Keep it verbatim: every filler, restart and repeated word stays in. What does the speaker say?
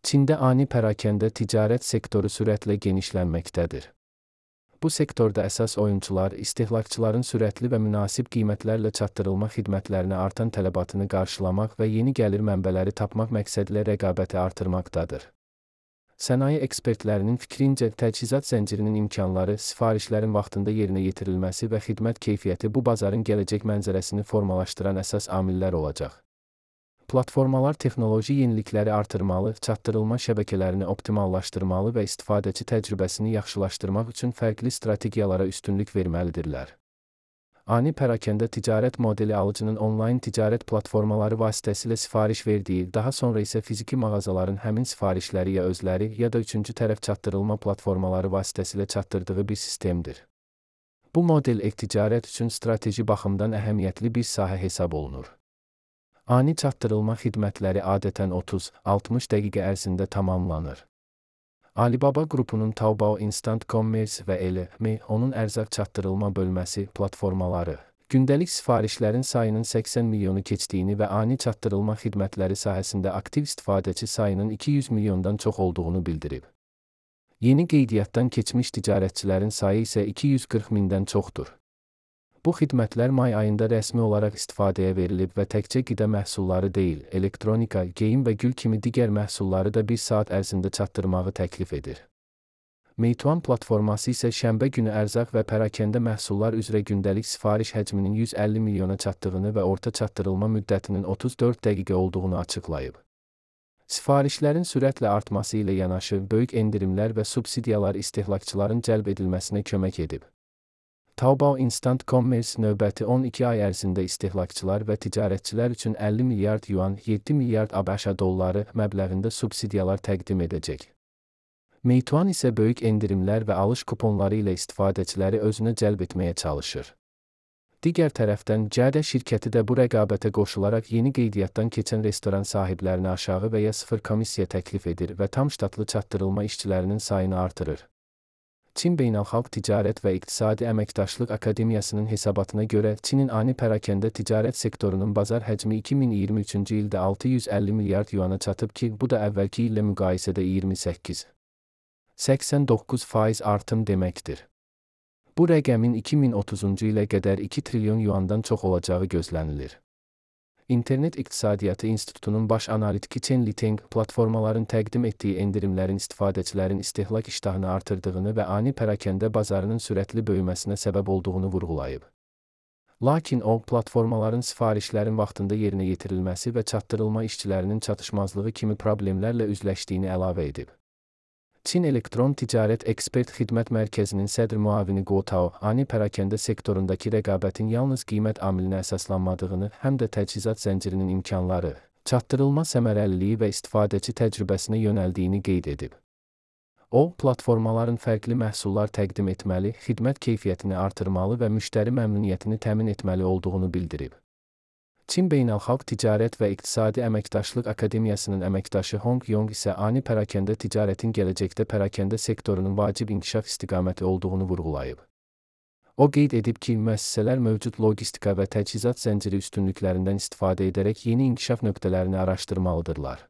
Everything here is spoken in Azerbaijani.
Çində ani pərakəndə ticarət sektoru sürətlə genişlənməkdədir. Bu sektorda əsas oyunçular istehlakçıların sürətli və münasib qiymətlərlə çatdırılma xidmətlərinə artan tələbatını qarşılamaq və yeni gəlir mənbələri tapmaq məqsədilə rəqabəti artırmaqdadır. Sənaye ekspertlərinin fikrincə, təchizat zəncirinin imkanları, sifarişlərin vaxtında yerinə yetirilməsi və xidmət keyfiyyəti bu bazarın gələcək mənzərəsini formalaşdıran əsas amillər olacaq. Platformalar texnoloji yenilikləri artırmalı, çatdırılma şəbəkələrini optimallaşdırmalı və istifadəçi təcrübəsini yaxşılaşdırmaq üçün fərqli strategiyalara üstünlük verməlidirlər. Ani pərakəndə ticarət modeli alıcının onlayn ticarət platformaları vasitəsilə sifariş verdiyi, daha sonra isə fiziki mağazaların həmin sifarişləri ya özləri, ya da üçüncü tərəf çatdırılma platformaları vasitəsilə çatdırdığı bir sistemdir. Bu model e-ticarət üçün strateji baxımdan əhəmiyyətli bir sahə hesab olunur. Ani çatdırılma xidmətləri adətən otuz altmış dəqiqə ərzində tamamlanır. Alibaba qrupunun Taobao Instant Commerce və L M onun ərzaq çatdırılma bölməsi platformaları, gündəlik sifarişlərin sayının səksən milyonu keçdiyini və ani çatdırılma xidmətləri sahəsində aktiv istifadəçi sayının iki yüz milyondan çox olduğunu bildirib. Yeni qeydiyyatdan keçmiş ticarətçilərin sayı isə iki yüz qırx mindən çoxdur. Bu xidmətlər may ayında rəsmi olaraq istifadəyə verilib və təkcə qida məhsulları deyil, elektronika, geyim və gül kimi digər məhsulları da bir saat ərzində çatdırmağı təklif edir. Meituan platforması isə şənbə günü ərzaq və pərakəndə məhsullar üzrə gündəlik sifariş həcminin yüz əlli milyona çatdığını və orta çatdırılma müddətinin otuz dörd dəqiqə olduğunu açıqlayıb. Sifarişlərin sürətlə artması ilə yanaşı, böyük endirimlər və subsidiyalar istehlakçıların cəlb edilməsinə kömək edib. Taobao Instant Commerce növbəti on iki ay ərzində istehlakçılar və ticarətçilər üçün əlli milyard yuan, yeddi milyard ABŞ dolları məbləğində subsidiyalar təqdim edəcək. Meituan isə böyük endirimlər və alış kuponları ilə istifadəçiləri özünə cəlb etməyə çalışır. Digər tərəfdən, Cədə şirkəti də bu rəqabətə qoşularaq yeni qeydiyyatdan keçən restoran sahiblərinə aşağı və ya sıfır komissiya təklif edir və tam ştatlı çatdırılma işçilərinin sayını artırır. Çin Beynəlxalq Ticarət və İqtisadi Əməkdaşlıq Akademiyasının hesabatına görə, Çinin ani pərakəndə ticarət sektorunun bazar həcmi iki min iyirmi üçüncü ildə altı yüz əlli milyard yuana çatıb ki, bu da əvvəlki illə müqayisədə iyirmi səkkiz - səksən doqquz faiz artım deməkdir. Bu rəqəmin iki min otuzuncu ilə qədər iki trilyon yuandan çox olacağı gözlənilir. İnternet İqtisadiyyatı İnstitutunun baş analitiki Chen Liteng, platformaların təqdim etdiyi endirimlərin istifadəçilərin istehlak iştahını artırdığını və ani pərakəndə bazarının sürətli böyüməsinə səbəb olduğunu vurğulayıb. Lakin o, platformaların sifarişlərin vaxtında yerinə yetirilməsi və çatdırılma işçilərinin çatışmazlığı kimi problemlərlə üzləşdiyini əlavə edib. Çin Elektron Ticarət Ekspert Xidmət Mərkəzinin sədr müavini Guo Tao, ani pərakəndə sektorundakı rəqabətin yalnız qiymət amilinə əsaslanmadığını, həm də təchizat zəncirinin imkanları, çatdırılma səmərəliliyi və istifadəçi təcrübəsinə yönəldiyini qeyd edib. O, platformaların fərqli məhsullar təqdim etməli, xidmət keyfiyyətini artırmalı və müştəri məmnuniyyətini təmin etməli olduğunu bildirib. Çin Beynəlxalq Ticarət və İqtisadi Əməkdaşlıq Akademiyasının əməkdaşı Hong Yong isə ani pərakəndə ticarətin gələcəkdə pərakəndə sektorunun vacib inkişaf istiqaməti olduğunu vurğulayıb. O qeyd edib ki, müəssisələr mövcud logistika və təchizat zənciri üstünlüklərindən istifadə edərək yeni inkişaf nöqtələrini araşdırmalıdırlar.